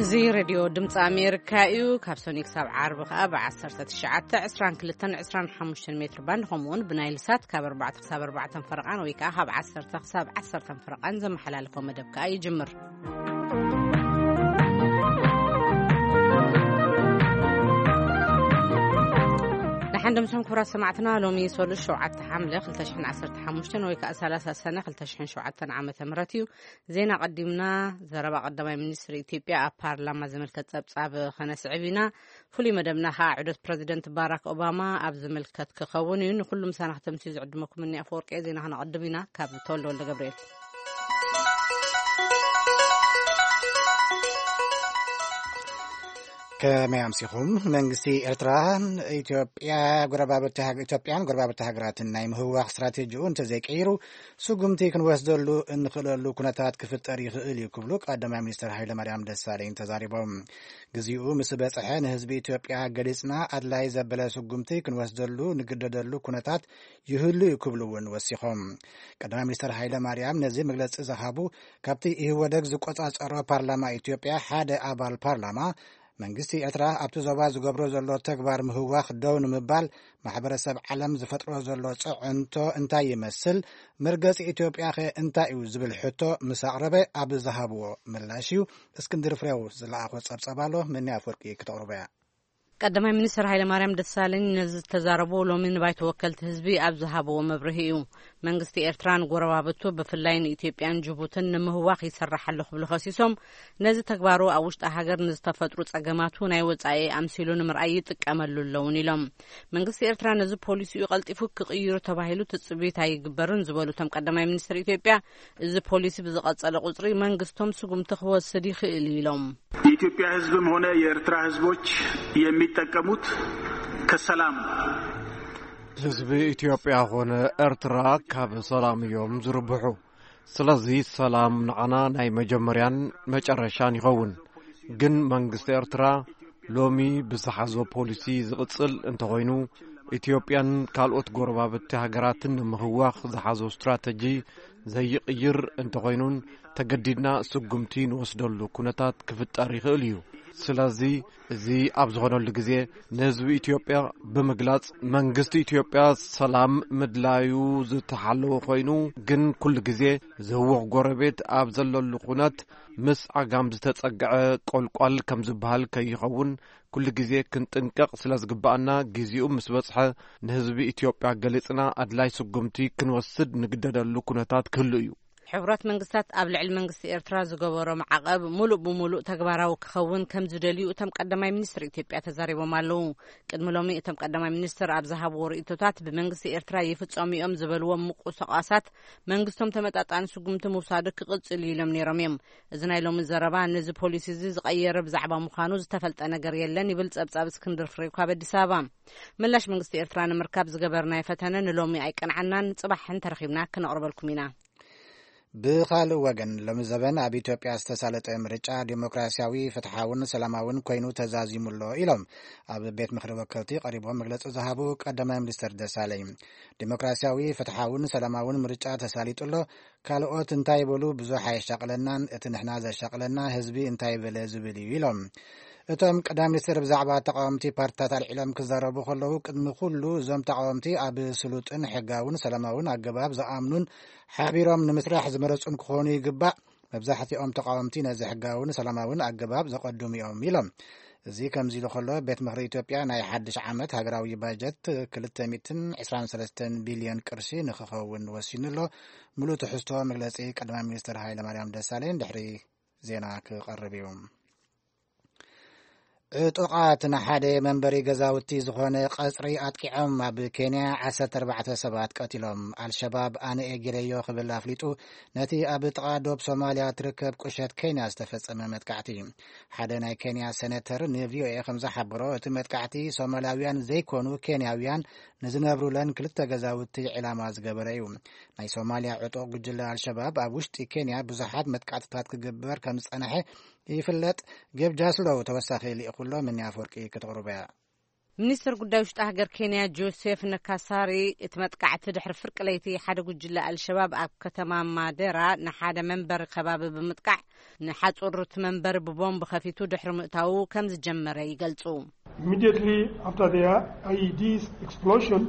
እዚ ሬድዮ ድምፂ ኣሜሪካ እዩ። ካብ ሰኑይ ክሳብ ዓርቢ ከኣ ብ ዓሰርተ ትሽዓተ፣ ዕስራን ክልተን፣ ዕስራን ሓሙሽተን ሜትር ባንድ፣ ከምኡ እውን ብናይል ሳት ካብ ኣርባዕተ ክሳብ ኣርባዕተን ፈረቓን፣ ወይ ከኣ ካብ ዓሰርተ ክሳብ ዓሰርተን ፈረቓን ዘመሓላልፎ መደብ ከኣ ይጅምር። ደሓን ደምሶም ክቡራት ሰማዕትና፣ ሎሚ ሰሉስ ሸውዓተ ሓምለ ክልተ ሽሕን ዓሰርተ ሓሙሽተን፣ ወይ ከኣ ሰላሳ ሰነ ክልተ ሽሕን ሸውዓተን ዓመተ ምህረት እዩ። ዜና ቀዲምና። ዘረባ ቀዳማይ ሚኒስትር ኢትዮጵያ ኣብ ፓርላማ ዝምልከት ጸብጻብ ከነስዕብ ኢና። ፍሉይ መደብና ከኣ ዑደት ፕረዚደንት ባራክ ኦባማ ኣብ ዝምልከት ክኸውን እዩ። ንኹሉ ምሳና ከተምስዩ ዝዕድመኩም እኒ ኣፈወርቂ ዜና ከነቐድም ኢና። ካብ ተወልደ ወልደ ገብርኤል። ከመይ ኣምሲኹም? መንግስቲ ኤርትራን ኢትዮጵያ ጎረባብቲ ሃገ-፣ ኢትዮጵያን ጎረባብቲ ሃገራትን ናይ ምህዋኽ ስትራቴጂኡ እንተዘይቀይሩ፣ ስጉምቲ ክንወስደሉ እንኽእለሉ ኩነታት ክፍጠር ይኽእል እዩ ክብሉ ቀዳማይ ሚኒስትር ሃይለማርያም ደሳለኝ ተዛሪቦም። ግዜኡ ምስ በጽሐ ንህዝቢ ኢትዮጵያ ገሊጽና፣ ኣድላይ ዘበለ ስጉምቲ ክንወስደሉ ንግደደሉ ኩነታት ይህሉ እዩ ክብሉ እውን ወሲኾም። ቀዳማይ ሚኒስትር ሃይለማርያም ነዚ መግለጺ ዝሃቡ፣ ካብቲ ኢህወደግ ዝቆጻጸሮ ፓርላማ ኢትዮጵያ ሓደ ኣባል ፓርላማ፣ መንግስቲ ኤርትራ ኣብቲ ዞባ ዝገብሮ ዘሎ ተግባር ምህዋኽ ደው ንምባል ማሕበረሰብ ዓለም ዝፈጥሮ ዘሎ ጽዕንቶ እንታይ ይመስል? መርገጺ ኢትዮጵያኸ እንታይ እዩ? ዝብል ሕቶ ምስ ኣቕረበ ኣብ ዝሃብዎ ምላሽ እዩ። እስክንድር ፍሬው ዝለኣኾ ጸብጸብ ኣሎ፣ መኒ ኣፈወርቂ ክተቕርቦ እያ። ቀዳማይ ሚኒስትር ሃይለማርያም ደሳለኝ ነዚ ዝተዛረቡ ሎሚ ንባይቶ ወከልቲ ህዝቢ ኣብ ዝሃብዎ መብርሂ እዩ። መንግስቲ ኤርትራ ንጎረባብቱ፣ ብፍላይ ንኢትዮጵያን ጅቡትን ንምህዋኽ ይሰርሕ ኣሎ ክብሉ ከሲሶም፣ ነዚ ተግባሩ ኣብ ውሽጢ ሃገር ንዝተፈጥሩ ጸገማቱ ናይ ወጻኢ ኣምሲሉ ንምርኣይ ይጥቀመሉ ኣለውን ኢሎም። መንግስቲ ኤርትራ ነዚ ፖሊሲኡ ቀልጢፉ ክቕይሩ ተባሂሉ ትጽቢት ኣይግበርን ዝበሉ እቶም ቀዳማይ ሚኒስትር ኢትዮጵያ፣ እዚ ፖሊሲ ብዝቐጸለ ቁጽሪ መንግስቶም ስጉምቲ ክወስድ ይኽእል እዩ ኢሎም። የኢትዮጵያ ህዝብም ሆነ የኤርትራ ህዝቦች የሚጠቀሙት ከሰላም ነው። ህዝቢ ኢትዮጵያ ኾነ ኤርትራ ካብ ሰላም እዮም ዝርብሑ። ስለዚ ሰላም ንዓና ናይ መጀመርያን መጨረሻን ይኸውን። ግን መንግስቲ ኤርትራ ሎሚ ብዝሓዞ ፖሊሲ ዝቕጽል እንተኾይኑ፣ ኢትዮጵያን ካልኦት ጎረባብቲ ሃገራትን ንምህዋኽ ዝሓዞ ስትራተጂ ዘይቕይር እንተኾይኑን፣ ተገዲድና ስጉምቲ ንወስደሉ ኩነታት ክፍጠር ይኽእል እዩ። ስለዚ፣ እዚ ኣብ ዝኾነሉ ግዜ፣ ንህዝቢ ኢትዮጵያ ብምግላጽ፣ መንግስቲ ኢትዮጵያ ሰላም ምድላዩ ዝተሓለወ ኮይኑ፣ ግን ኩሉ ግዜ ዝህወኽ ጎረቤት ኣብ ዘለሉ ኩነት፣ ምስ ዓጋም ዝተጸግዐ ቆልቋል ከም ዝበሃል ከይኸውን፣ ኩሉ ግዜ ክንጥንቀቕ ስለ ዝግብኣና፣ ግዜኡ ምስ በጽሐ፣ ንህዝቢ ኢትዮጵያ ገሊጽና፣ ኣድላይ ስጉምቲ ክንወስድ ንግደደሉ ኩነታት ክህሉ እዩ። ሕቡራት መንግስታት ኣብ ልዕሊ መንግስቲ ኤርትራ ዝገበሮ ማዕቐብ ሙሉእ ብሙሉእ ተግባራዊ ክኸውን ከም ዝደልዩ እቶም ቀዳማይ ሚኒስትር ኢትዮጵያ ተዛሪቦም ኣለዉ። ቅድሚ ሎሚ እቶም ቀዳማይ ሚኒስትር ኣብ ዝሃብዎ ርእይቶታት፣ ብመንግስቲ ኤርትራ ይፍጸሙ እዮም ዝበልዎም ምቁስቓሳት መንግስቶም ተመጣጣኒ ስጉምቲ ምውሳዱ ክቕጽል እዩ ኢሎም ነይሮም እዮም። እዚ ናይ ሎሚ ዘረባ ነዚ ፖሊሲ እዚ ዝቐየረ ብዛዕባ ምዃኑ ዝተፈልጠ ነገር የለን ይብል ጸብጻብ እስክንድር ፍሬው ካብ ኣዲስ ኣበባ። ምላሽ መንግስቲ ኤርትራ ንምርካብ ዝገበርናዮ ፈተነ ንሎሚ ኣይቀንዓናን፣ ጽባሕ እንተረኺብና ክነቕርበልኩም ኢና። ብኻልእ ወገን፣ ሎሚ ዘበን ኣብ ኢትዮጵያ ዝተሳለጠ ምርጫ ዲሞክራሲያዊ፣ ፍትሓውን ሰላማውን ኮይኑ ተዛዚሙ ኣሎ ኢሎም ኣብ ቤት ምኽሪ ወከልቲ ቀሪቦም መግለጺ ዝሃቡ ቀዳማይ ሚኒስትር ደሳለኝ። ዲሞክራሲያዊ፣ ፍትሓውን ሰላማውን ምርጫ ተሳሊጡ ኣሎ፣ ካልኦት እንታይ ይበሉ ብዙሕ ኣየሻቕለናን፣ እቲ ንሕና ዘሻቕለና ህዝቢ እንታይ በለ ዝብል እዩ ኢሎም። እቶም ቀዳማይ ሚኒስትር ብዛዕባ ተቃወምቲ ፓርቲታት ኣልዒሎም ክዛረቡ ከለዉ፣ ቅድሚ ኩሉ እዞም ተቃወምቲ ኣብ ስሉጥን ሕጋውን ሰላማውን ኣገባብ ዝኣምኑን ሓቢሮም ንምስራሕ ዝመረጹን ክኾኑ ይግባእ። መብዛሕትኦም ተቃወምቲ ነዚ ሕጋውን ሰላማውን ኣገባብ ዘቐድሙ እዮም ኢሎም። እዚ ከምዚ ኢሉ ከሎ፣ ቤት ምኽሪ ኢትዮጵያ ናይ ሓድሽ ዓመት ሃገራዊ ባጀት ክልተ ሚእትን ዕስራን ሰለስተን ቢልዮን ቅርሺ ንክኸውን ወሲኑ ኣሎ። ምሉእ ትሕዝቶ መግለጺ ቀዳማይ ሚኒስትር ሃይለማርያም ደሳለኝ ድሕሪ ዜና ክቐርብ እዩ። ዕጡቓት ንሓደ መንበሪ ገዛውቲ ዝኾነ ቀጽሪ ኣጥቂዖም ኣብ ኬንያ ዓሰርተ ኣርባዕተ ሰባት ቀቲሎም። ኣልሸባብ ኣነ እየ ገይረዮ ክብል ኣፍሊጡ ነቲ ኣብ ጥቓ ዶብ ሶማልያ ትርከብ ቁሸት ኬንያ ዝተፈጸመ መጥቃዕቲ። ሓደ ናይ ኬንያ ሴኔተር ንቪኦኤ ከም ዝሓበሮ፣ እቲ መጥቃዕቲ ሶማላውያን ዘይኮኑ ኬንያውያን ንዝነብሩለን ክልተ ገዛውቲ ዒላማ ዝገበረ እዩ። ናይ ሶማልያ ዕጡቕ ጉጅለ ኣልሸባብ ኣብ ውሽጢ ኬንያ ብዙሓት መጥቃዕትታት ክገብር ከም ዝጸንሐ ይፍለጥ። ጌብ ጃስሎው ተወሳኺ ልኢኹሎ፣ ምኒ ኣፈወርቂ ክትቕርቦ እያ። ሚኒስትር ጉዳይ ውሽጢ ሃገር ኬንያ ጆሴፍ ነካሳሪ፣ እቲ መጥቃዕቲ ድሕሪ ፍርቂ ለይቲ ሓደ ጉጅለ ኣልሸባብ ኣብ ከተማ ማደራ ንሓደ መንበሪ ከባቢ ብምጥቃዕ ንሓጹር እቲ መንበሪ ብቦምብ ከፊቱ ድሕሪ ምእታዉ ከም ዝጀመረ ይገልጹ። Immediately after the I E D's explosion,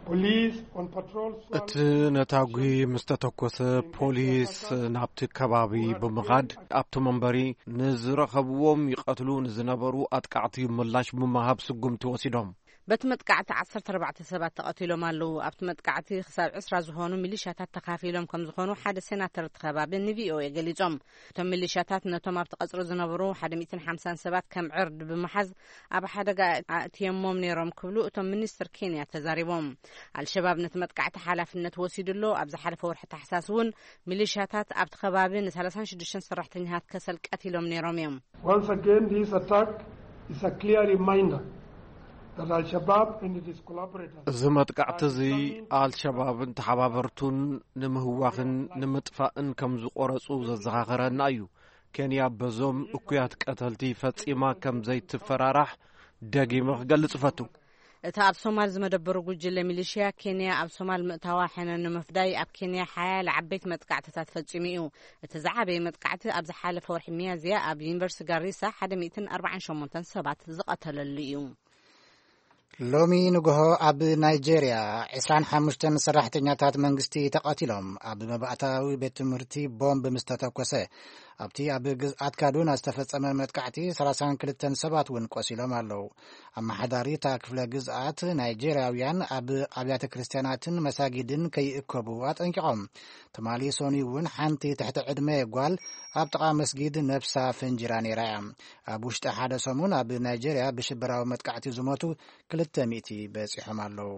police on patrol እቲ ነታጒ ምስ ተተኮሰ፣ ፖሊስ ናብቲ ከባቢ ብምኻድ ኣብቲ መንበሪ ንዝረኸብዎም ይቐትሉ ንዝነበሩ ኣጥቃዕቲ ምላሽ ብምሃብ ስጉምቲ ወሲዶም። በቲ መጥቃዕቲ ዓሰርተ ኣርባዕተ ሰባት ተቐቲሎም ኣለዉ። ኣብቲ መጥቃዕቲ ክሳብ ዕስራ ዝኾኑ ሚሊሻታት ተኻፊሎም ከም ዝኾኑ ሓደ ሴናተር እቲ ከባቢ ን ቪ ኦ ኤ ገሊጾም። እቶም ሚሊሻታት ነቶም ኣብቲ ቀጽሪ ዝነበሩ ሓደ ሚእትን ሓምሳን ሰባት ከም ዕርድ ብምሓዝ ኣብ ሓደጋ ኣእትየሞም ነይሮም ክብሉ እቶም ሚኒስትር ኬንያ ተዛሪቦም። ኣልሸባብ ነቲ መጥቃዕቲ ሓላፍነት ወሲዱ ኣሎ። ኣብ ዝሓለፈ ወርሒ ታሕሳስ እውን ሚሊሻታት ኣብቲ ከባቢ ን ሰላሳን ሽዱሽተን ሰራሕተኛታት ከሰል ቀቲሎም ነይሮም እዮም። Once again, this attack is a clear reminder that Al-Shabaab and its collaborators እዚ መጥቃዕቲ እዚ ኣልሸባብን ተሓባበርቱን ንምህዋኽን ንምጥፋእን ከም ዝቆረጹ ዘዘኻኸረና እዩ። ኬንያ በዞም እኩያት ቀተልቲ ፈጺማ ከም ዘይትፈራራሕ ደጊመ ክገልጽ እፈቱ። እቲ ኣብ ሶማል ዝመደበሩ ጉጅለ ሚሊሽያ ኬንያ ኣብ ሶማል ምእታዋ ሕነ ንምፍዳይ ኣብ ኬንያ ሓያለ ዓበይቲ መጥቃዕትታት ፈጺሙ እዩ። እቲ ዝዓበየ መጥቃዕቲ ኣብ ዝሓለፈ ወርሒ ሚያዝያ ኣብ ዩኒቨርሲቲ ጋሪሳ ሓደ ሚእትን ኣርባዓን ሸሞንተን ሰባት ዝቐተለሉ እዩ። ሎሚ ንግሆ ኣብ ናይጄርያ ዕስራን ሓሙሽተን ሰራሕተኛታት መንግስቲ ተቐቲሎም፣ ኣብ መባእታዊ ቤት ትምህርቲ ቦምብ ምስ ተተኮሰ። ኣብቲ ኣብ ግዝኣት ካዱና ዝተፈጸመ መጥቃዕቲ ሰላሳን ክልተን ሰባት እውን ቆሲሎም ኣለዉ። ኣመሓዳሪ እታ ክፍለ ግዝኣት፣ ናይጄርያውያን ኣብ ኣብያተ ክርስትያናትን መሳጊድን ከይእከቡ ኣጠንቂቖም። ትማሊ ሰኑይ እውን ሓንቲ ትሕቲ ዕድመ ጓል ኣብ ጥቓ መስጊድ ነብሳ ፈንጂራ ነይራ እያ። ኣብ ውሽጢ ሓደ ሰሙን ኣብ ናይጄርያ ብሽበራዊ መጥቃዕቲ ዝሞቱ ክልተ ሚእቲ በጺሖም ኣለዉ።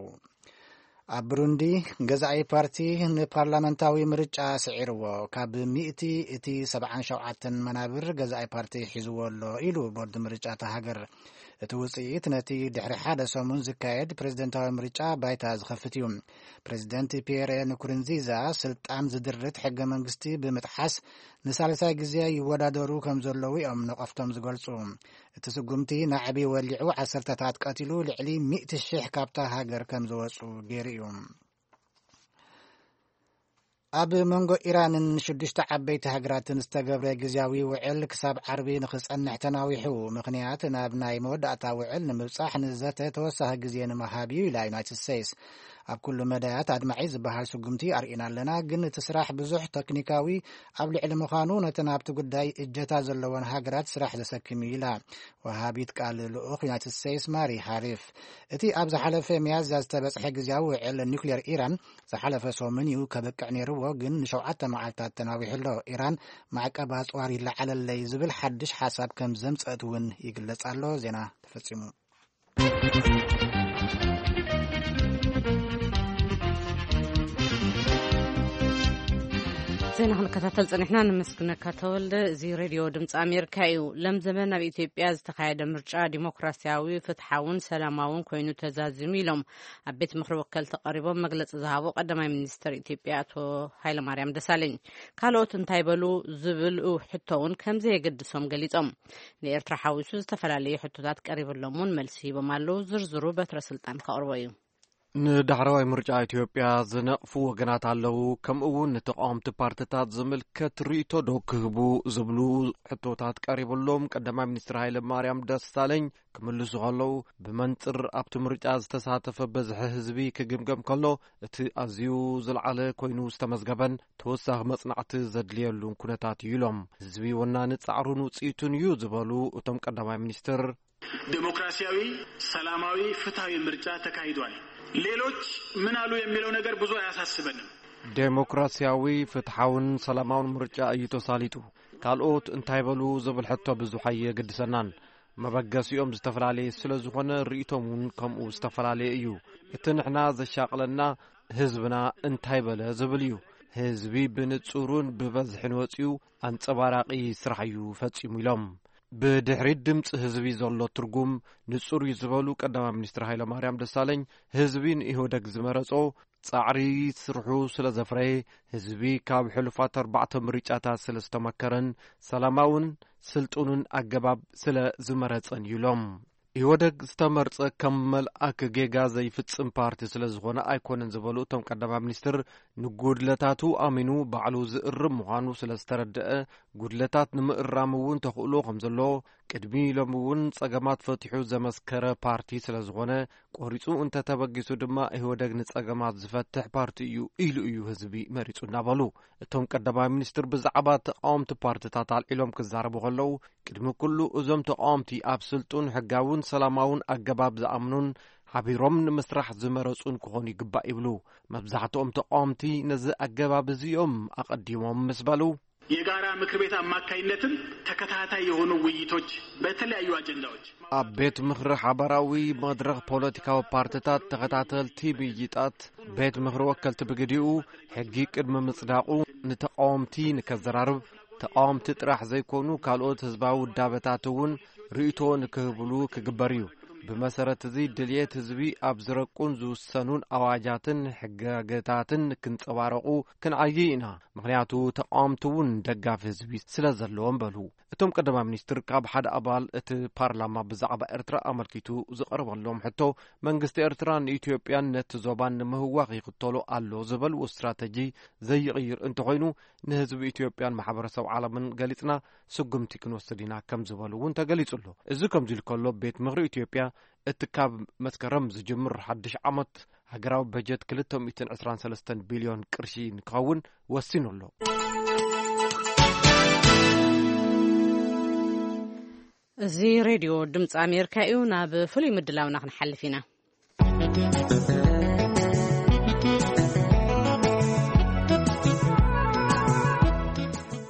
ኣብ ብሩንዲ፣ ገዛኢ ፓርቲ ንፓርላመንታዊ ምርጫ ስዒርዎ። ካብ ሚእቲ እቲ ሰብዓን ሸውዓተን መናብር ገዛኢ ፓርቲ ሒዝዎ ኣሎ ኢሉ ቦርድ ምርጫ እታ ሃገር። እቲ ውጽኢት ነቲ ድሕሪ ሓደ ሰሙን ዝካየድ ፕሬዝደንታዊ ምርጫ ባይታ ዝኸፍት እዩ። ፕሬዝደንት ፒየረ ንኩርንዚዛ ስልጣን ዝድርት ሕገ መንግስቲ ብምጥሓስ ንሳልሳይ ግዜ ይወዳደሩ ከም ዘለዉ እዮም ነቐፍቶም ዝገልጹ። እቲ ስጉምቲ ናዕቢ ወሊዑ ዓሰርተታት ቀቲሉ ልዕሊ ሚእቲ ሽሕ ካብታ ሃገር ከም ዝወጹ ገይሩ እዩ። ኣብ መንጎ ኢራንን ሽዱሽተ ዓበይቲ ሃገራትን ዝተገብረ ግዝያዊ ውዕል ክሳብ ዓርቢ ንኽጸንሕ ተናዊሑ። ምኽንያት ናብ ናይ መወዳእታ ውዕል ንምብጻሕ ንዘተ ተወሳኺ ግዜ ንምሃብ እዩ ኢላ ዩናይትድ ስቴትስ። ኣብ ኩሉ መዳያት ኣድማዒ ዝበሃል ስጉምቲ ኣርኢና ኣለና፣ ግን እቲ ስራሕ ብዙሕ ተክኒካዊ ኣብ ልዕሊ ምዃኑ ነተን ኣብቲ ጉዳይ እጀታ ዘለወን ሃገራት ስራሕ ዘሰክም እዩ ኢላ ወሃቢት ቃል ልኡኽ ዩናይትድ ስቴትስ ማሪ ሃሪፍ። እቲ ኣብ ዝሓለፈ ሚያዝያ ዝተበጽሐ ግዝያዊ ውዕል ኒውክሌር ኢራን ዝሓለፈ ሰሙን እዩ ከብቅዕ ነይርዎ፣ ግን ንሸውዓተ መዓልታት ተናዊሑ ኣሎ። ኢራን ማዕቀብ ኣጽዋር ይለዓለለይ ዝብል ሓድሽ ሓሳብ ከም ዘምጸት እውን ይግለጽ ኣሎ። ዜና ተፈጺሙ። ዜና ክንከታተል ጸኒሕና። ንምስግነካ ተወልደ። እዚ ሬድዮ ድምፂ ኣሜሪካ እዩ። ለምዘመን ኣብ ኢትዮጵያ ዝተኻየደ ምርጫ ዲሞክራሲያዊ፣ ፍትሓውን ሰላማውን ኮይኑ ተዛዚሙ ኢሎም ኣብ ቤት ምኽሪ ወከልቲ ቀሪቦም መግለፂ ዝሃቡ ቀዳማይ ሚኒስትር ኢትዮጵያ ኣቶ ሃይለማርያም ደሳለኝ። ካልኦት እንታይ በሉ ዝብል ሕቶ እውን ከም ዘየገድሶም ገሊጾም። ንኤርትራ ሓዊሱ ዝተፈላለዩ ሕቶታት ቀሪብሎም እውን መልሲ ሂቦም ኣለዉ። ዝርዝሩ በትረ ስልጣን ከቕርቦ እዩ። ንዳሕረዋይ ምርጫ ኢትዮጵያ ዝነቕፉ ወገናት ኣለዉ፣ ከምኡ እውን ንተቃወምቲ ፓርትታት ዝምልከት ርእይቶ ዶ ክህቡ ዝብሉ ሕቶታት ቀሪብሎም ቀዳማይ ሚኒስትር ሃይለ ማርያም ደሳለኝ ክምልሱ ከለዉ፣ ብመንጽር ኣብቲ ምርጫ ዝተሳተፈ በዝሒ ህዝቢ ክግምገም ከሎ፣ እቲ ኣዝዩ ዝለዓለ ኮይኑ ዝተመዝገበን ተወሳኺ መጽናዕቲ ዘድልየሉን ኩነታት እዩ ኢሎም። ህዝቢ ወናኒ ጻዕሩን ውጽኢቱን እዩ ዝበሉ እቶም ቀዳማይ ሚኒስትር፣ ዴሞክራሲያዊ፣ ሰላማዊ፣ ፍትሐዊ ምርጫ ተካሂዷል። ሌሎች ምን አሉ የሚለው ነገር ብዙ አያሳስበንም። ዴሞክራሲያዊ፣ ፍትሓውን ሰላማውን ምርጫ እዩ ተሳሊጡ። ካልኦት እንታይ በሉ ዝብል ሕቶ ብዙሕ ኣየገድሰናን። መበገሲኦም ዝተፈላለየ ስለ ዝኾነ ርእይቶም እውን ከምኡ ዝተፈላለየ እዩ። እቲ ንሕና ዘሻቕለና ህዝብና እንታይ በለ ዝብል እዩ። ህዝቢ ብንጹሩን ብበዝሕን ወጺኡ ኣንጸባራቒ ስራሕ እዩ ፈጺሙ ኢሎም። ብድሕሪት ድምፂ ህዝቢ ዘሎ ትርጉም ንጹር እዩ ዝበሉ ቀዳማይ ሚኒስትር ሃይለማርያም ደሳለኝ፣ ህዝቢ ንኢህወደግ ዝመረጾ ጻዕሪ ስርሑ ስለ ዘፍረየ፣ ህዝቢ ካብ ሕሉፋት ኣርባዕተ ምርጫታት ስለ ዝተመከረን ሰላማውን ስልጡንን ኣገባብ ስለ ዝመረጸን እዩ ኢሎም። ኢህወደግ ዝተመርጸ ከም መልኣክ ጌጋ ዘይፍጽም ፓርቲ ስለ ዝኾነ ኣይኮነን ዝበሉ እቶም ቀዳማይ ሚኒስትር፣ ንጉድለታቱ ኣሚኑ ባዕሉ ዝእርም ምዃኑ ስለ ዝተረድአ፣ ጉድለታት ንምእራም እውን ተኽእሎ ከም ዘሎ፣ ቅድሚ ኢሎም እውን ጸገማት ፈቲሑ ዘመስከረ ፓርቲ ስለ ዝኾነ፣ ቆሪጹ እንተተበጊሱ ድማ ኢህወደግ ንጸገማት ዝፈትሕ ፓርቲ እዩ ኢሉ እዩ ህዝቢ መሪጹ እናበሉ፣ እቶም ቀዳማይ ሚኒስትር ብዛዕባ ተቃወምቲ ፓርትታት ኣልዒሎም ክዛረቡ ከለዉ፣ ቅድሚ ኩሉ እዞም ተቃወምቲ ኣብ ስልጡን ሕጋውን ሰላማውን ኣገባብ ዝኣምኑን ሓቢሮም ንምስራሕ ዝመረጹን ክኾኑ ይግባእ ይብሉ። መብዛሕትኦም ተቃወምቲ ነዚ ኣገባብ እዚኦም ኣቐዲሞም ምስ በሉ፣ የጋራ ምክር ቤት አማካይነትም ተከታታይ የሆኑ ውይይቶች በተለያዩ አጀንዳዎች ኣብ ቤት ምኽሪ ሓባራዊ መድረኽ ፖለቲካዊ ፓርትታት ተኸታተልቲ ምይይጣት፣ ቤት ምኽሪ ወከልቲ ብግዲኡ፣ ሕጊ ቅድሚ ምጽዳቑ ንተቓወምቲ ንከዘራርብ፣ ተቓወምቲ ጥራሕ ዘይኮኑ ካልኦት ህዝባዊ ውዳበታት እውን ርእይቶ ንክህብሉ ክግበር እዩ። ብመሰረት እዚ ድልየት ህዝቢ ኣብ ዝረቁን ዝውሰኑን ኣዋጃትን ሕጋገታትን ክንጸባረቑ ክንዓይ ኢና። ምኽንያቱ ተቓወምቲ እውን ደጋፊ ህዝቢ ስለ ዘለዎም በሉ። እቶም ቀዳማይ ሚኒስትር ካብ ሓደ ኣባል እቲ ፓርላማ ብዛዕባ ኤርትራ ኣመልኪቱ ዝቐረበሎም ሕቶ፣ መንግስቲ ኤርትራን ኢትዮጵያን ነቲ ዞባን ንምህዋኽ ይኽተሎ ኣሎ ዝበልዎ ስትራተጂ ዘይቕይር እንተኾይኑ፣ ንህዝቢ ኢትዮጵያን ማሕበረሰብ ዓለምን ገሊጽና ስጉምቲ ክንወስድ ኢና ከም ዝበሉ እውን ተገሊጹ ኣሎ። እዚ ከምዚ ኢሉ ከሎ፣ ቤት ምኽሪ ኢትዮጵያ እቲ ካብ መስከረም ዝጅምር ሓድሽ ዓመት ሃገራዊ በጀት ክልተ ሚእትን ዕስራን ሰለስተን ቢልዮን ቅርሺ ንክኸውን ወሲኑ ኣሎ። እዚ ሬድዮ ድምፂ ኣሜሪካ እዩ። ናብ ፍሉይ ምድላውና ክንሓልፍ ኢና።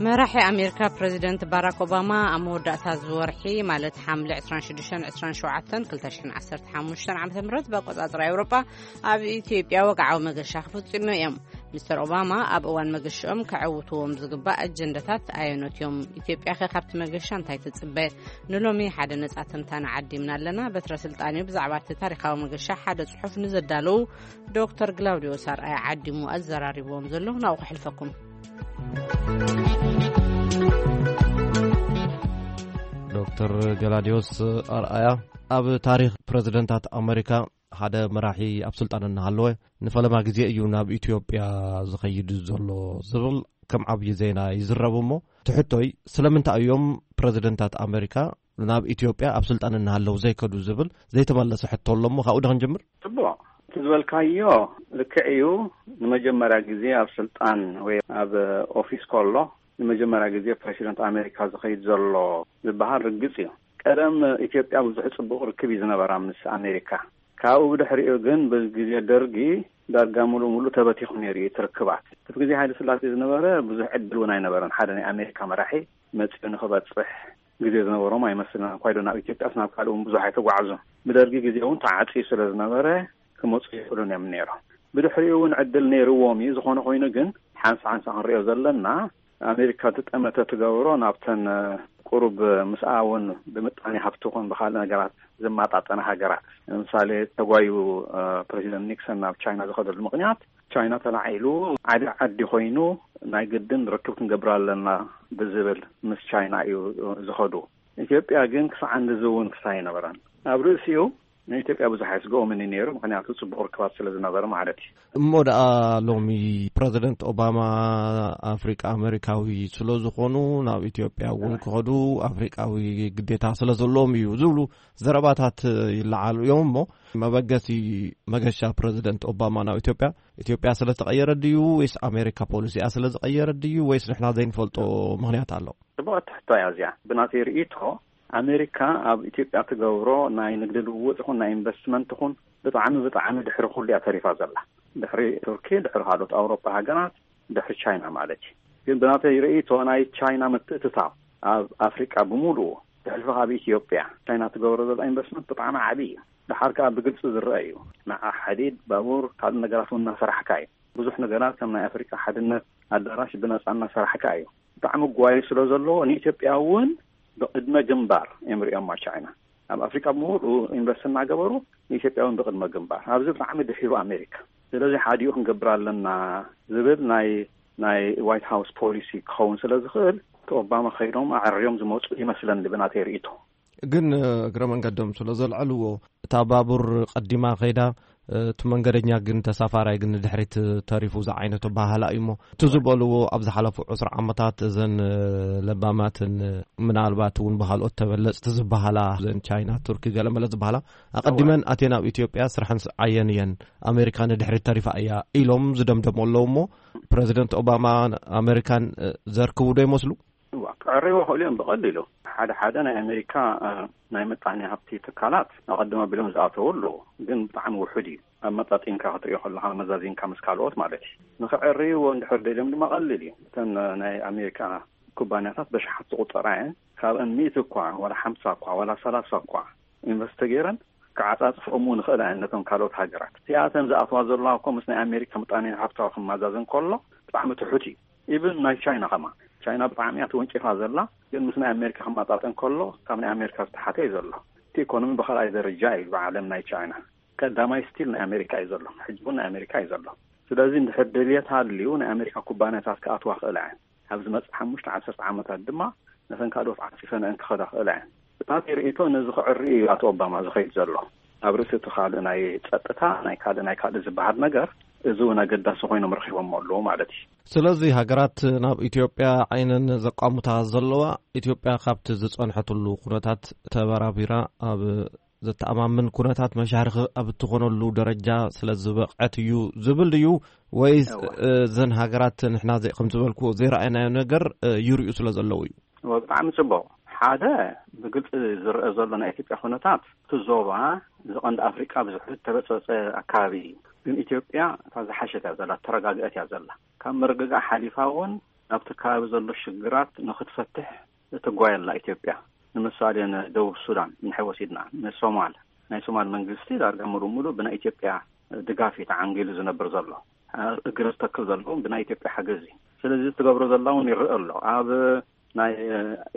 መራሒ ኣሜሪካ ፕረዚደንት ባራክ ኦባማ ኣብ መወዳእታ እዚ ወርሒ፣ ማለት ሓምለ ዕስራን ሽዱሽተን ዕስራን ሸውዓተን ክልተ ሽሕን ዓሰርተ ሓሙሽተን ዓመተ ምህረት ብኣቆጻጽራ ኤውሮጳ፣ ኣብ ኢትዮጵያ ወግዓዊ መገሻ ክፍጽሙ እዮም። ሚስተር ኦባማ ኣብ እዋን መገሽኦም ከዕውትዎም ዝግባእ ኣጀንዳታት ኣየኖት እዮም? ኢትዮጵያኸ ካብቲ መገሻ እንታይ ትጽበ? ንሎሚ ሓደ ነጻ ትንታነ ዓዲምና ኣለና። በትረ ስልጣን እዩ ብዛዕባ እቲ ታሪኻዊ መገሻ ሓደ ጽሑፍ ንዘዳለዉ ዶክተር ግላውዲዮስ ኣርኣያ ዓዲሙ ኣዘራሪብዎም ዘሎ። ናብኡ ከሕልፈኩም። ዶክተር ገላዲዮስ ኣርኣያ፣ ኣብ ታሪኽ ፕረዚደንታት ኣመሪካ ሓደ መራሒ ኣብ ስልጣን እናሃለወ ንፈለማ ግዜ እዩ ናብ ኢትዮጵያ ዝኸይድ ዘሎ ዝብል ከም ዓብዪ ዜና ይዝረብ። እሞ ትሕቶይ፣ ስለምንታይ እዮም ፕረዚደንታት ኣመሪካ ናብ ኢትዮጵያ ኣብ ስልጣን እናሃለዉ ዘይከዱ ዝብል ዘይተመለሰ ሕቶ ኣሎ። እሞ ካብኡ ዶ ክንጅምር? ጽቡቕ። እቲ ዝበልካዮ ልክዕ እዩ። ንመጀመርያ ግዜ ኣብ ስልጣን ወይ ኣብ ኦፊስ ከሎ ንመጀመርያ ግዜ ፕረሲደንት ኣሜሪካ ዝኸይድ ዘሎ ዝበሃል ርግጽ እዩ። ቀደም ኢትዮጵያ ብዙሕ ጽቡቕ ርክብ እዩ ዝነበራ ምስ ኣሜሪካ። ካብኡ ብድሕሪኡ ግን ብግዜ ደርጊ ዳርጋ ሙሉእ ሙሉእ ተበቲኹ ነይሩ እዩ እቲ ርክባት። እቲ ግዜ ሃይለ ስላሴ ዝነበረ ብዙሕ ዕድል እውን ኣይነበረን ሓደ ናይ ኣሜሪካ መራሒ መጺኡ ንኽበጽሕ ግዜ ዝነበሮም ኣይመስልን። እንኳይ ዶ ናብ ኢትዮጵያስ ናብ ካልእ እውን ብዙሕ ኣይተጓዕዙን። ብደርጊ ግዜ እውን ተዓጽዩ ስለ ዝነበረ ክመጹ ይኽእሉን እዮም ነይሮም። ብድሕሪኡ እውን ዕድል ነይርዎም እዩ። ዝኾነ ኮይኑ ግን ሓንሳ ሓንሳ ክንሪኦ ዘለና ኣሜሪካ እቲ ጠመተ ትገብሮ ናብተን ቁሩብ ምስኣ እውን ብምጣኔ ሃፍቲ ኹን ብኻልእ ነገራት ዝመጣጠነ ሃገራት ንምሳሌ ተጓዩ ፕረዚደንት ኒክሰን ናብ ቻይና ዝኸደሉ ምኽንያት ቻይና ተላዒሉ ዓቢ ዓዲ ኮይኑ ናይ ግድን ርክብ ክንገብር ኣለና ብዝብል ምስ ቻይና እዩ ዝኸዱ። ኢትዮጵያ ግን ክሳዕ ንዚ እውን ክሳይ ኣይነበረን። ኣብ ርእሲኡ ንኢትዮጵያ ብዙሕ ኣየስግኦምን እዩ ነይሩ፣ ምኽንያቱ ጽቡቕ ርክባት ስለ ዝነበረ ማለት እዩ። እሞ ደኣ ሎሚ ፕረዚደንት ኦባማ ኣፍሪቃ ኣመሪካዊ ስለ ዝኾኑ ናብ ኢትዮጵያ እውን ክኸዱ ኣፍሪቃዊ ግዴታ ስለ ዘለዎም እዩ ዝብሉ ዘረባታት ይለዓሉ እዮም። እሞ መበገሲ መገሻ ፕረዚደንት ኦባማ ናብ ኢትዮጵያ፣ ኢትዮጵያ ስለ ተቐየረ ድዩ ወይስ ኣሜሪካ ፖሊሲኣ ስለ ዝቐየረ ድዩ ወይስ ንሕና ዘይንፈልጦ ምኽንያት ኣሎ? ጽቡቕ ትሕቶ እያ እዚኣ። ብናተይ ርእይቶ ኣሜሪካ ኣብ ኢትዮጵያ ትገብሮ ናይ ንግዲ ልውውጥ ይኹን ናይ ኢንቨስትመንት ይኹን ብጣዕሚ ብጣዕሚ ድሕሪ ኩሉ እያ ተሪፋ ዘላ። ድሕሪ ቱርኪ፣ ድሕሪ ካልኦት ኣውሮፓ ሃገራት፣ ድሕሪ ቻይና ማለት እዩ። ግን ብናተይ ርእይቶ ናይ ቻይና ምትእትታው ኣብ ኣፍሪቃ ብምሉኡ ብሕልፊ ካብ ኢትዮጵያ ቻይና ትገብሮ ዘላ ኢንቨስትመንት ብጣዕሚ ዓቢ እዩ። ደሓር ከኣ ብግልጺ ዝረአ እዩ። ንዓ ሓዲድ፣ ባቡር፣ ካልእ ነገራት እውን እናሰራሕካ እዩ። ብዙሕ ነገራት ከም ናይ ኣፍሪቃ ሓድነት ኣዳራሽ ብነጻ እናሰራሕካ እዩ። ብጣዕሚ ጓዩ ስለ ዘለዎ ንኢትዮጵያ እውን ብቕድመ ግንባር እዮም ሪኦማ ቻይና። ኣብ ኣፍሪቃ ብምሉኡ ኢንቨስት እናገበሩ ንኢትዮጵያ እውን ብቕድመ ግንባር። ኣብዚ ብጣዕሚ ድሒሩ ኣሜሪካ። ስለዚ ሓዲኡ ክንገብር ኣለና ዝብል ናይ ናይ ዋይት ሃውስ ፖሊሲ ክኸውን ስለ ዝኽእል እቲ ኦባማ ከይዶም ኣዕርዮም ዝመፁ ይመስለኒ ብናተይ ርእይቶ። ግን እግረ መንገዶም ስለ ዘልዐልዎ፣ እታ ባቡር ቀዲማ ከይዳ፣ እቲ መንገደኛ ግን፣ ተሳፋራይ ግን ንድሕሪት ተሪፉ ዝዓይነቱ ባህላ እዩ። እሞ እቲ ዝበልዎ ኣብ ዝሓለፉ ዕስራ ዓመታት፣ እዘን ለባማትን ምናልባት እውን ብካልኦት ተበለፅቲ ዝበሃላ፣ እዘን ቻይና፣ ቱርኪ፣ ገለመለ ዝበሃላ፣ ኣቐዲመን ኣትየን ኣብ ኢትዮጵያ ስራሕን ስዓየን እየን፣ ኣሜሪካ ንድሕሪት ተሪፋ እያ ኢሎም ዝደምደሙ ኣለዉ። እሞ ፕረዚደንት ኦባማ ኣሜሪካን ዘርክቡ ዶ ይመስሉ? እዋ፣ ክዕርይዎ ክእሉ እዮም ብቐሊሉ። ሓደ ሓደ ናይ ኣሜሪካ ናይ ምጣኔ ሃብቲ ትካላት ኣቐድም ኣቢሎም ዝኣተዉ ኣለዉ፣ ግን ብጣዕሚ ውሑድ እዩ። ኣብ መጣጢንካ ክትሪኦ ከለኻ፣ መዛዚንካ ምስ ካልኦት ማለት እዩ። ንክዕርይዎ እንድሕር ደልዮም ድማ ቀሊል እዩ። እተን ናይ ኣሜሪካ ኩባንያታት በሽሓት ዝቑጸራ እየን። ካብአን ሚእቲ እኳ ዋላ ሓምሳ እኳ ዋላ ሰላሳ እኳ ኢንቨስት ተገይረን ክዓጻጽፈኦም እውን ይኽእላ እየን ነቶም ካልኦት ሃገራት። እቲኣተን ዝኣትዋ ዘለዋ እኮ ምስ ናይ ኣሜሪካ ምጣኔ ሃብታዊ ክመዛዘን ከሎ ብጣዕሚ ትሑት እዩ። ኢብን ናይ ቻይና ከማ፣ ቻይና ብጣዕሚ እያ ተወንጪፋ ዘላ፣ ግን ምስ ናይ ኣሜሪካ ክመጣጠን ከሎ ካብ ናይ ኣሜሪካ ዝተሓተ እዩ ዘሎ። እቲ ኢኮኖሚ ብኻልኣይ ደረጃ እዩ ብዓለም ናይ ቻይና። ቀዳማይ ስቲል ናይ ኣሜሪካ እዩ ዘሎ፣ ሕጂ እውን ናይ ኣሜሪካ እዩ ዘሎ። ስለዚ እንድሕር ድልየት ሃልዩ ናይ ኣሜሪካ ኩባንያታት ክኣትዋ ክእላ እየን። ኣብ ዝመፅእ ሓሙሽተ ዓሰርተ ዓመታት ድማ ነተን ካልኦት ዓፂፈንአን ክኸዳ ክእላ እየን። ብናተይ ርእይቶ ነዚ ክዕሪ እዩ ኣቶ ኦባማ ዝኸይድ ዘሎ። ኣብ ርእሲ እቲ ካልእ ናይ ፀጥታ፣ ናይ ካልእ ናይ ካልእ ዝበሃል ነገር፣ እዚ እውን ኣገዳሲ ኮይኖም ረኺቦሞ ኣለዉ ማለት እዩ። ስለዚ ሃገራት ናብ ኢትዮጵያ ዓይነን ዘቋሙታ ዘለዋ፣ ኢትዮጵያ ካብቲ ዝጸንሐትሉ ኩነታት ተበራቢራ ኣብ ዘተኣማምን ኩነታት መሻርኺ ኣብ እትኾነሉ ደረጃ ስለ ዝበቕዐት እዩ ዝብል ድዩ? ወይስ እወ። እዘን ሃገራት ንሕና ዘይ-፣ ከም ዝበልኩዎ ዘይረኣየናዮ ነገር፣ እ፣ ይርእዩ ስለ ዘለዉ እዩ? እወ፣ ብጣዕሚ ጽቡቕ። ሓደ ብግልጺ ዝረአ ዘሎ ናይ ኢትዮጵያ ኩነታት፣ እቲ ዞባ፣ እዚ ቀንዲ ኣፍሪቃ ብዙሕ ዝተበጸጸ ኣካባቢ እዩ። ግን ኢትዮጵያ እታ ዝሓሸት እያ ዘላ፣ ተረጋግአት እያ ዘላ። ካብ ምርግጋእ ሓሊፋ እውን ናብቲ ከባቢ ዘሎ ሽግራት ንኽትፈትሕ ትጓየ ኣላ ኢትዮጵያ። ንምሳሌ ንደቡብ ሱዳን እንድሕር ወሲድና፣ ንሶማል፣ ናይ ሶማል መንግስቲ ዳርጋ ሙሉእ ሙሉእ ብናይ ኢትዮጵያ ድጋፍ እዩ ተዓንጊሉ ዝነብር ዘሎ። እግሪ ዝተክል ዘሎ እውን ብናይ ኢትዮጵያ ሓገዝ እዩ። ስለዚ ትገብሮ ዘላ እውን ይረአ ኣሎ። ኣብ ናይ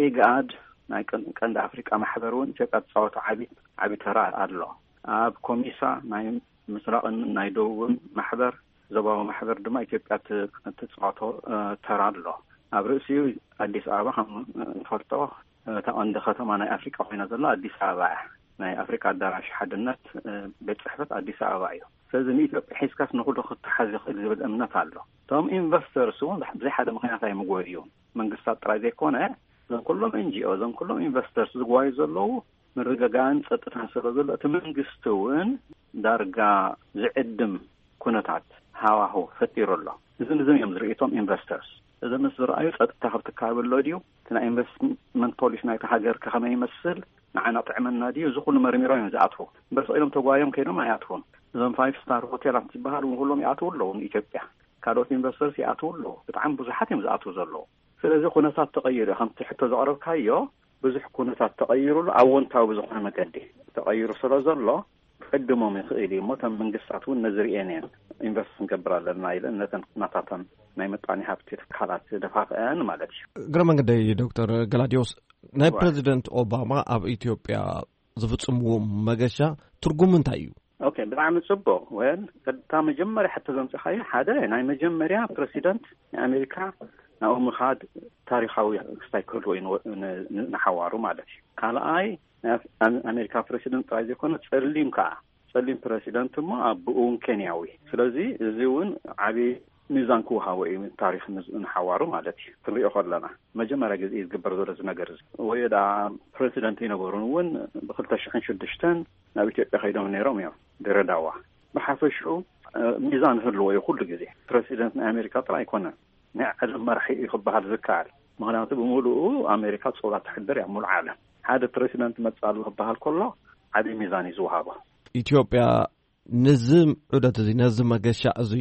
ኢግኣድ፣ ናይ ቀን-፣ ቀንዲ ኣፍሪቃ ማሕበር እውን ኢትዮጵያ ትፃወቶ ዓቢ፣ ዓቢ ተራ ኣሎ። ኣብ ኮሚሳ ናይ ምስራቕን ናይ ደቡብን ማሕበር፣ ዞባዊ ማሕበር ድማ ኢትዮጵያ ት-፣ ትፃወቶ፣ እ፣ ተራ ኣሎ። ኣብ ርእሲኡ ኣዲስ ኣበባ ከም ንፈልጦ፣ እ፣ እታ ቀንዲ ከተማ ናይ ኣፍሪቃ ኮይና ዘላ ኣዲስ ኣበባ እያ። ናይ ኣፍሪቃ ኣዳራሽ ሓድነት፣ እ፣ ቤት ጽሕፈት ኣዲስ ኣበባ እዩ። ስለዚ ንኢትዮጵያ ሒዝካስ ንኹሉ ክተሓዝ ይኽእል ዝብል እምነት ኣሎ። እቶም ኢንቨስተርስ እውን ብዘይ ሓደ ምኽንያት ኣይምጎዩን። መንግስታት ጥራይ ዘይኮነ፣ እዞም ኩሎም ኤን ጂ ኦ፣ እዞም ኩሎም ኢንቨስተርስ ዝጓዩ ዘለዉ ምርግጋእን ጸጥታን ስለ ዘሎ፣ እቲ መንግስቲ እውን ዳርጋ ዝዕድም ኩነታት ሃዋህው ፈጢሩ ኣሎ። እዚ ንዝም እዮም ዝርእዩ እቶም ኢንቨስተርስ። እዚ ምስ ዝረኣዩ፣ ጸጥታ ካብቲ ከባቢ ኣሎ ድዩ? እቲ ናይ ኢንቨስትመንት ፖሊሲ ናይቲ ሃገር ከ ከመይ ይመስል? ንዓና ጥዕመና ድዩ? እዚ ኩሉ መርሚሮም እዮም ዝኣትዉ። እምበር ስቕ ኢሎም ተጓዮም ከይዶም ኣይኣትዉን። እዞም ፋይቭ ስታር ሆቴላት ዝበሃሉ እውን ኩሎም ይኣትዉ ኣለዉ ንኢትዮጵያ። ካልኦት ኢንቨስተርስ ይኣትዉ ኣለዉ። ብጣዕሚ ብዙሓት እዮም ዝኣትዉ ዘለዉ። ስለዚ ኩነታት ተቐይሩ እዩ። ከምቲ ሕቶ ዘቕረብካዮ፣ ብዙሕ ኩነታት ተቐይሩሉ፣ ኣወንታዊ ብዝኾነ መገዲ ተቐይሩ ስለ ዘሎ፣ ክዕድሞም ይኽእል እዩ እሞ፣ እቶም መንግስታት እውን ነዚ ርእየን እየን ኢንቨስት ክንገብር ኣለና ኢለን ነተን ናታተን ናይ ምጣኔ ሃብቲ ትካላት ደፋፍአን ማለት እዩ። እግረ መንገደይ ዶክተር ገላዲዮስ፣ ናይ እዋ። ፕረዚደንት ኦባማ ኣብ ኢትዮጵያ ዝፍጽምዎ መገሻ ትርጉሙ እንታይ እዩ? ኦኬ፣ ብጣዕሚ ጽቡቕ። ወል፣ ቀጥታ መጀመርያ ሕቶ ዘምጽኻዮ፣ ሓደ ናይ መጀመርያ ፕረሲደንት ናይ ኣሜሪካ ናብኡ ምኻድ ታሪኻዊ ክስታይ ክህልዎ እዩ ንወ-፣ ን-፣ ን-፣ ንሓዋሩ ማለት እዩ። ካልኣይ፣ ናይ ኣፍ-፣ ኣም-፣ ኣሜሪካ ፕረሲደንት ጥራይ ዘይኮነ፣ ጸሊም ከኣ፣ ጸሊም ፕረሲደንት እሞ ኣቦኡ እውን ኬንያዊ። ስለዚ እዚ እውን ዓቢ ሚዛን ክወሃቦ እዩ ታሪኽ ንዝ-፣ ንሓዋሩ ማለት እዩ። ክንሪኦ ከለና፣ መጀመርያ ግዜ እዩ ዝግበር ዘሎ እዚ ነገር እዚ። ወይ ደኣ ፕረሲደንት ይነበሩን እውን ብክልተ ሽሕን ሽዱሽተን ናብ ኢትዮጵያ ከይዶም ነይሮም እዮም፣ ድሬዳዋ። ብሓፈሽኡ፣ እ፣ ሚዛን ህልዎ እዩ ኩሉ ግዜ። ፕረሲደንት ናይ ኣሜሪካ ጥራይ ኣይኮነን፣ ናይ ዓለም መራሒ እዩ ክበሃል ዝከኣል። ምኽንያቱ ብምሉኡ ኣሜሪካ ጾላ ተሕድር እያ ኣብ ሙሉእ ዓለም። ሓደ ፕረሲደንት መጽእ ኣሎ ክበሃል ከሎ ዓቢ ሚዛን እዩ ዝወሃቦ። ኢትዮጵያ ነዚ ዑደት እዚ፣ ነዚ መገሻ እዚ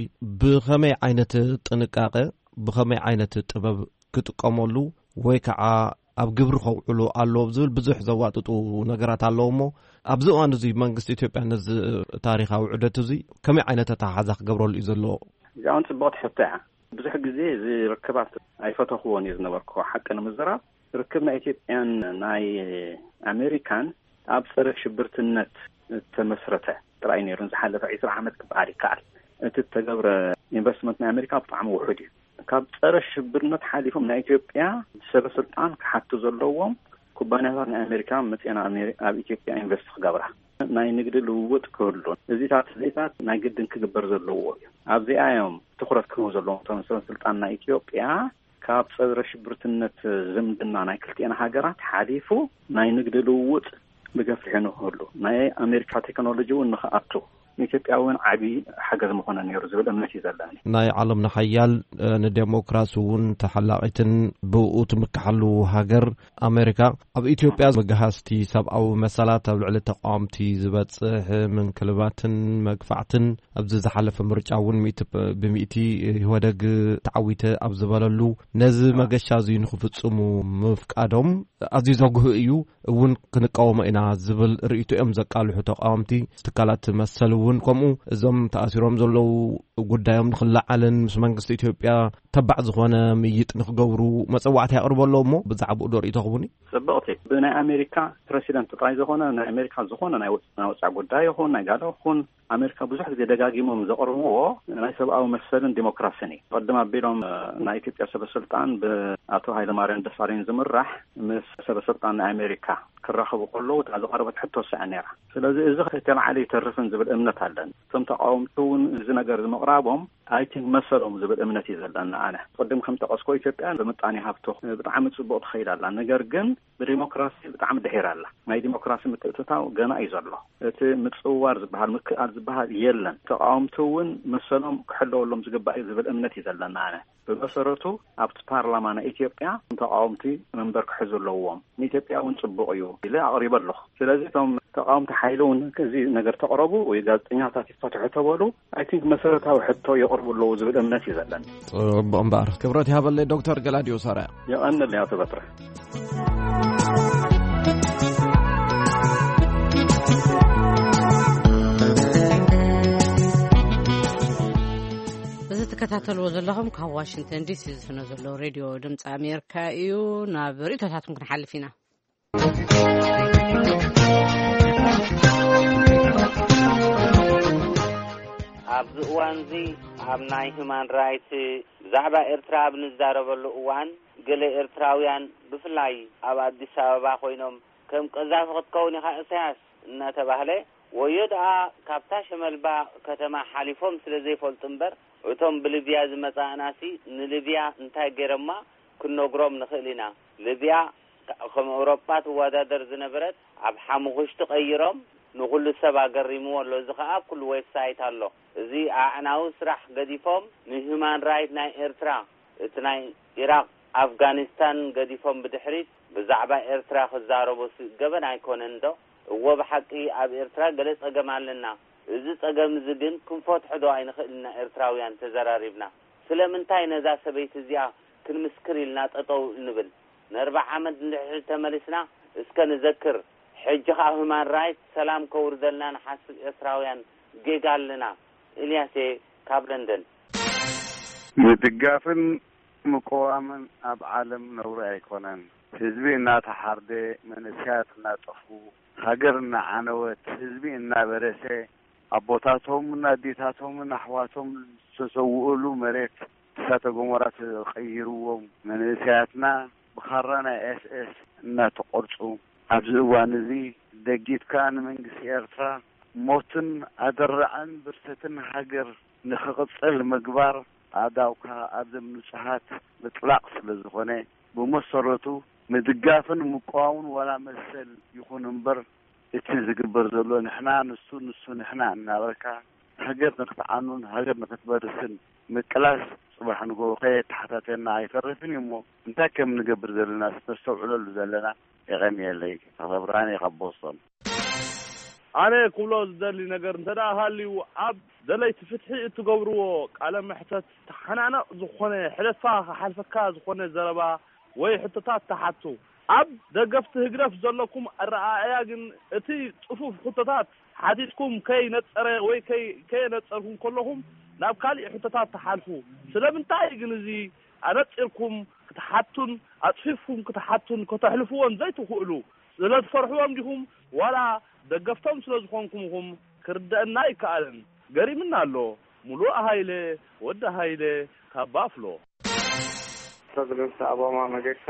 ብኸመይ ዓይነት ጥንቃቐ፣ ብኸመይ ዓይነት ጥበብ ክጥቀመሉ ወይ ከዓ ኣብ ግብሪ ከውዕሎ ኣለዎም ዝብል ብዙሕ ዘዋጥጡ ነገራት ኣለዉ። እሞ ኣብዚ እዋን እዚ መንግስቲ ኢትዮጵያ ነዚ ታሪኻዊ ዑደት እዚ ከመይ ዓይነት ኣተሓሕዛ ክገብረሉ እዩ ዘለዎ? እዚኣ እውን ጽብቕቲ ሕቶ እያ። ብዙሕ ግዜ እዚ ርክባት ኣይፈተኽዎን እየ ዝነበርኩ፣ ሓቂ ንምዝራብ። ርክብ ናይ ኢትዮጵያን ናይ ኣሜሪካን ኣብ ጸረ ሽብርትነት እተመስረተ ጥራይ ነይሩ። ንዝሓለፈ ዒስራ ዓመት ክበሃል ይከኣል። እቲ እተገብረ ኢንቨስትመንት ናይ ኣሜሪካ ብጣዕሚ ውሑድ እዩ። ካብ ጸረ ሽብርነት ሓሊፎም ናይ ኢትዮጵያ ሰበ ስልጣን ክሓቱ ዘለዎም ኩባንያታት ናይ ኣሜሪካ መፅኤን ኣሜሪ- ኣብ ኢትዮጵያ ኢንቨስት ክገብራ፣ ናይ ንግዲ ልውውጥ ክህሉ፣ እዚታት እዚታት ናይ ግድን ክግበር ዘለዎ እዩ። ኣብዚኣ እዮም ትኩረት ክህቡ ዘለዎም እቶም ሰብ ስልጣን ናይ ኢትዮጵያ። ካብ ፀረ ሽብርትነት ዝምድና ናይ ክልቲኤን ሃገራት ሓሊፉ ናይ ንግዲ ልውውጥ ብገፊሑ ንክህሉ፣ ናይ ኣሜሪካ ቴክኖሎጂ እውን ንክኣቱ ንኢትዮጵያ እውን ዓቢ ሓገዝ ምኾነ ነይሩ ዝብል እምነት እዩ ዘለኒ። ናይ ዓለምና ሓያል፣ እ፣ ንዴሞክራሲ እውን ተሓላቒትን ብኡ ትምክሓሉ ሃገር ኣሜሪካ፣ ኣብ ኢትዮጵያ መግሃስቲ ሰብኣዊ መሰላት ኣብ ልዕሊ ተቃወምቲ ዝበጽሕ ምንክልባትን መግፋዕትን፣ ኣብዚ ዝሓለፈ ምርጫ እውን ሚእቲ ብ-፣ ብሚእቲ ኢህወደግ ተዓዊተ ኣብ ዝበለሉ፣ ነዚ መገሻ እዚ ንክፍጽሙ ምፍቃዶም ኣዝዩ ዘጉህ እዩ፣ እውን ክንቃወሞ ኢና ዝብል ርእይቶ እዮም ዘቃልሑ ተቃወምቲ። ትካላት መሰል እውን ከምኡ፣ እዞም ተኣሲሮም ዘለዉ ጉዳዮም ንክለዓልን ምስ መንግስቲ ኢትዮጵያ ተባዕ ዝኾነ ምይጥ ንክገብሩ መጸዋዕታ የቕርቡ ኣለዉ። እሞ ብዛዕባኡ ዶ ርእይቶ ክቡኒ? ጽብቕቲ። ብናይ ኣሜሪካ ፕረሲደንት ጥራይ ዝኾነ፣ ናይ ኣሜሪካ ዝኾነ ናይ ወጽ-፣ ናይ ወጻኢ ጉዳይ ይኹን ናይ ጋዳ ይኹን፣ ኣሜሪካ ብዙሕ ግዜ ደጋጊሞም ዘቕርብዎ ናይ ሰብኣዊ መሰልን ዲሞክራስን እዩ። ቅድም ኣቢሎም፣ እ፣ ናይ ኢትዮጵያ ሰበ ስልጣን ብኣቶ ሃይለማርያም ደሳለኝ ዝምራሕ ምስ ሰበ ስልጣን ናይ ኣሜሪካ ክራኸቡ ከለዉ እታ ዝቐረበት ሕቶ ስዕን ነይራ። ስለዚ እዚ ከይተልዓለ ይተርፍን ዝብል እምነት ኣለኒ። እቶም ተቃወምቲ እውን እዚ ነገር ዝምቕራቦም ኣይ ቲንክ መሰሎም ዝብል እምነት እዩ ዘለኒ ኣነ። ቅድም ከም ጠቐስኮ ኢትዮጵያ ብምጣኔ ሃብቶ ብጣዕሚ ጽቡቕ ትኸይድ ኣላ። ነገር ግን ብዲሞክራሲ ብጣዕሚ ድሒራ ኣላ። ናይ ዲሞክራሲ ምትእትታው ገና እዩ ዘሎ። እቲ ምጽውዋር ዝበሃል፣ ምክእኣል ዝበሃል የለን። ተቃወምቲ እውን መሰሎም ክሕለወሎም ዝግባእ እዩ ዝብል እምነት እዩ ዘለኒ ኣነ። ብመሰረቱ ኣብቲ ፓርላማ ናይ ኢትዮጵያ ተቃወምቲ መንበር ክሕዙ ኣለዎም፣ ንኢትዮጵያ እውን ጽቡቕ እዩ ኢለ ኣቕሪበ ኣለኹ። ስለዚ እቶም ተቃወምቲ ሓይሊ እውን እዚ ነገር ተቕረቡ ወይ ጋዜጠኛታት ይፈትሑ ተበሉ፣ ኣይ ቲንክ መሰረታዊ ሕቶ የቕርቡ ኣለዉ ዝብል እምነት እዩ ዘለኒ። ጽቡቕ እምበኣር፣ ክብረት ይሃበለይ ዶክተር ገላዲዮስ ኣርኣያ። የቐንል ኣቶ በትረ። እዚ ትከታተልዎ ዘለኹም ካብ ዋሽንግተን ዲሲ ዝፍኖ ዘሎ ሬድዮ ድምፂ ኣሜሪካ እዩ። ናብ ርእይቶታትኩም ክንሓልፍ ኢና። ኣብዚ እዋን እዚ ኣብ ናይ ሁማን ራይት ብዛዕባ ኤርትራ ኣብ ንዛረበሉ እዋን፣ ገለ ኤርትራውያን ብፍላይ ኣብ ኣዲስ ኣበባ ኮይኖም፣ "ከም ቀዛፊ ክትከውን ኢኻ እሳያስ" እናተባህለ፣ ወዮ ደኣ ካብታ ሸመልባ ከተማ ሓሊፎም ስለ ዘይፈልጡ እምበር፣ እቶም ብሊብያ ዝመጻእናሲ ንሊብያ እንታይ ገይሮማ ክንነግሮም ንኽእል ኢና። ሊብያ ከም ኤውሮጳ ትወዳደር ዝነበረት ኣብ ሓሙኽሽቲ ቀይሮም ንኹሉ ሰብ ኣገሪምዎ ኣሎ። እዚ ኸኣ ኣብ ኩሉ ዌብሳይት ኣሎ። እዚ ኣዕናዊ ስራሕ ገዲፎም ንሁማን ራይት ናይ ኤርትራ፣ እቲ ናይ ኢራቕ፣ ኣፍጋኒስታን ገዲፎም ብድሕሪት ብዛዕባ ኤርትራ ክዛረቡሲ ገበን ኣይኮነን ዶ? እወ ብሓቂ ኣብ ኤርትራ ገለ ጸገም ኣለና። እዚ ጸገም እዚ ግን ክንፈትሖ ዶ ኣይንኽእልና ኤርትራውያን ተዘራሪብና? ስለምንታይ ነዛ ሰበይቲ እዚኣ ክንምስክር ኢልና ጠጠው እንብል? ንኣርብዓ ዓመት ንድሕሪት ተመሊስና እስከ ንዘክር። ሕጂ ኸኣ ሁማን ራይት ሰላም ከውርደልና ንሓስብ ኤርትራውያን ጌጋ ኣለና። ኢልያስ እየ ካብ ለንደን። ምድጋፍን ምቅዋምን ኣብ ዓለም ነውሪ ኣይኮነን። ህዝቢ እናተሓርደ፣ መንእሰያት እናጠፉ፣ ሃገር እናዓነወት፣ ህዝቢ እናበረሰ፣ ኣቦታቶምን ኣዴታቶምን ኣሕዋቶም ዝተሰውኡሉ መሬት እሳተ ገሞራ ተቐይርዎም፣ መንእሰያትና ብኻራ ናይ ኤስ ኤስ እናተቖርጹ፣ ኣብዚ እዋን እዚ ደጊትካ ንመንግስቲ ኤርትራ ሞትን ኣደራዕን ብርሰትን ሃገር ንኽቕጽል ምግባር ኣእዳውካ ኣብዘም ንጹሃት ምጥላቕ ስለ ዝኾነ፣ ብመሰረቱ ምድጋፍን ምቅዋምን ዋላ መሰል ይኹን እምበር፣ እቲ ዝግበር ዘሎ ንሕና ንሱ፣ ንሱ ንሕና እናበልካ፣ ሃገር ንክትዓኑን ሃገር ንክትበርስን ምቅላስ፣ ጽባሕ ንግሆ ከየተሓታተና ኣይተርፍን እዩ። እሞ እንታይ ከም ንገብር ዘለና ነስተውዕለሉ ዘለና። የቐንየለይ። ተኸብራን እየ ካብ ቦስቶን። ኣነ ክብሎ ዝደሊ ነገር እንተ ደኣ ሃልዩ፣ ኣብ ደለይቲ ፍትሒ እትገብርዎ ቃለ መሕተት ተሓናነቕ ዝኾነ፣ ሕለፋ ክሓልፈካ ዝኾነ ዘረባ ወይ ሕቶታት ተሓቱ። ኣብ ደገፍቲ ህግደፍ ዘለኩም ኣረኣእያ ግን፣ እቲ ጽፉፍ ሕቶታት ሓቲትኩም ከይነጸረ ወይ ከይ-፣ ከየነጸርኩም ከለኹም ናብ ካሊእ ሕቶታት ትሓልፉ። ስለምንታይ ግን እዚ ኣነጺርኩም ክትሓቱን ኣጽፊፍኩም ክትሓቱን ከተሕልፍዎን ዘይትኽእሉ? ስለ ትፈርሕዎም ዲኹም ዋላ ደገፍቶም ስለ ዝኾንኩም ኢኹም? ክርደአና ኣይከኣልን። ገሪምና ኣሎ። ሙሉእ ሃይለ፣ ወዲ ሃይለ፣ ካብ ባፍሎ። ፕረዚደንት ኦባማ መገሻ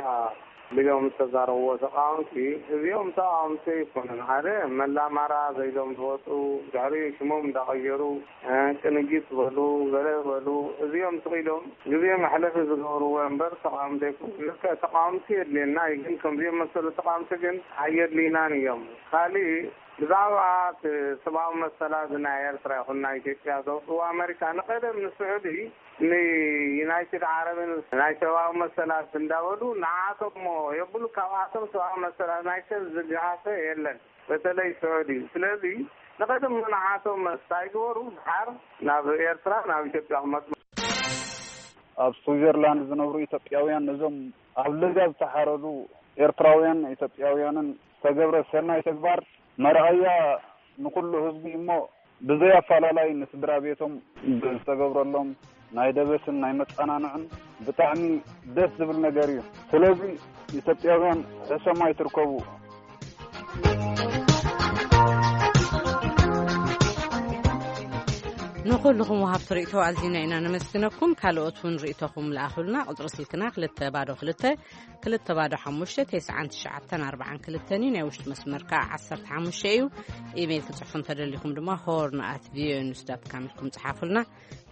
ኢሎም ዝተዛረብዎ ተቃወምቲ፣ እዚኦም ተቃወምቲ ኣይኮኑን። ሓደ መላማራ ዘይሎም ዝወጡ፣ ድሕሪ ሽሞም እንዳቀየሩ፣ እ፣ ቅንጅት በሉ፣ ገለ በሉ፣ እዚኦም ስቕ ኢሎም ግዜ መሕለፊ ዝገብርዎ እምበር ተቃወምቲ ኣይኮኑን። ልክዕ ተቃወምቲ የድልየና እዩ፣ ግን ከምዚኦም መሰሉ ተቃወምቲ ግን ኣየድልይናን እዮም። ካሊእ ብዛዕባ እቲ ሰብኣዊ መሰላት ናይ ኤርትራ ይኹን ናይ ኢትዮጵያ ዘውፅዎ ኣመሪካ ንቀደም ንስዑዲ ንዩናይትድ ዓረብን ናይ ሰብኣዊ መሰላት እንዳበሉ ንዓቶም እሞ የብሉ፣ ካብኣቶም ሰብኣዊ መሰላት ናይ ሰብ ዝገሃሰ የለን፣ በተለይ ስዑዲ። ስለዚ ንቀደም ንዓቶም መስታ ይግበሩ፣ ድሓር ናብ ኤርትራ ናብ ኢትዮጵያ ክመፁ። ኣብ ስዊዘርላንድ ዝነብሩ ኢትዮጵያውያን ነዞም ኣብ ለጋ ዝተሓረዱ ኤርትራውያን ኢትዮጵያውያንን ዝተገብረ ሰናይ ተግባር መርኣያ ንኩሉ ህዝቢ እሞ ብዘይ ኣፈላላይ ንስድራ ቤቶም ዝተገብረሎም ናይ ደበስን ናይ መጸናንዕን ብጣዕሚ ደስ ዝብል ነገር እዩ። ስለዚ ኢትዮጵያውያን ሕሰም ኣይትርከቡ። ንኹልኹም ወሃብቲ ርእይቶ ኣዚና ኢና ነመስግነኩም። ካልኦት እውን ርእይቶኹም ለኣኹልና። ቁጽሪ ስልክና ክልተ ባዶ ክልተ ክልተ ባዶ ሓሙሽተ ተስዓን ትሽዓተን ኣርባዓን ክልተን እዩ። ናይ ውሽጢ መስመር ከዓ ዓሰርተ ሓሙሽተ እዩ። ኢሜይል ክጽሕፉ እንተደሊኹም ድማ ሆርን ኣት ቪኦኤ ኒውስ ዳት ካም ኢልኩም ጽሓፉልና፣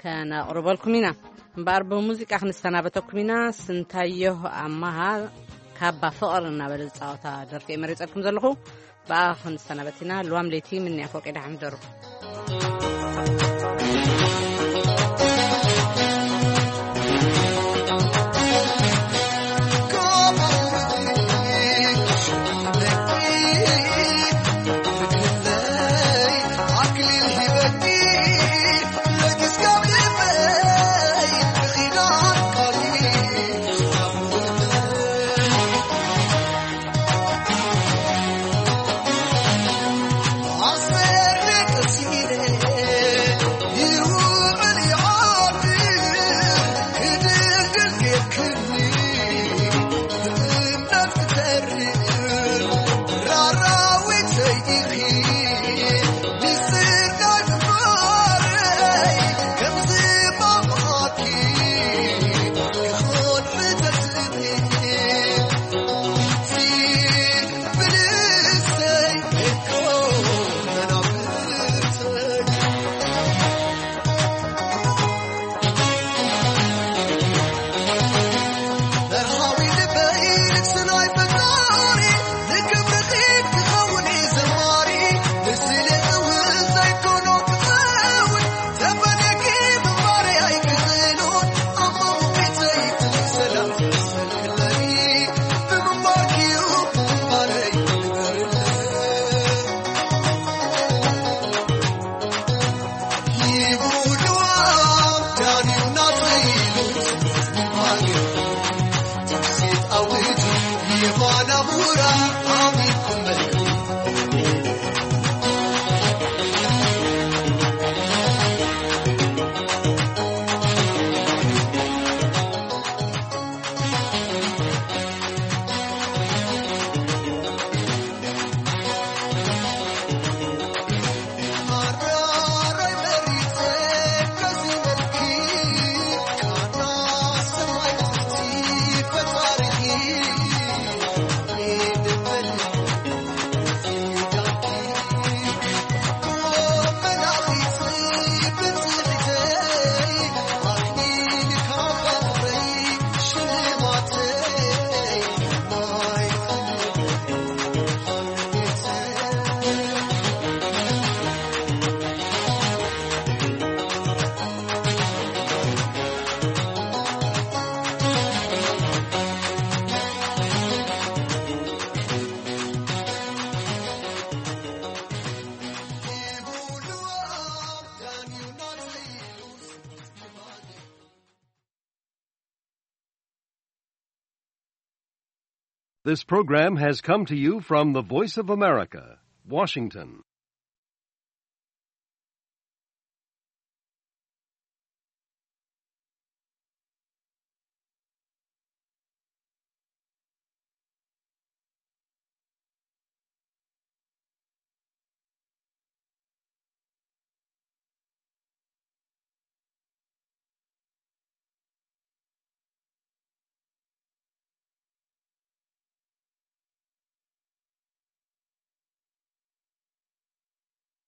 ከነቕርበልኩም ኢና። እምበኣር ብሙዚቃ ክንሰናበተኩም ኢና። ስንታየሁ ኣማሃ ካባ ፍቕር እናበለ ዝጻወታ ደርፊ እየ መሪጸልኩም ዘለኹ። ብኣ ክንሰናበት ኢና። ልዋም ለይቲ ምንያ ፎቅ ደሓን ደሩ። This program has come to you from the Voice of America, Washington.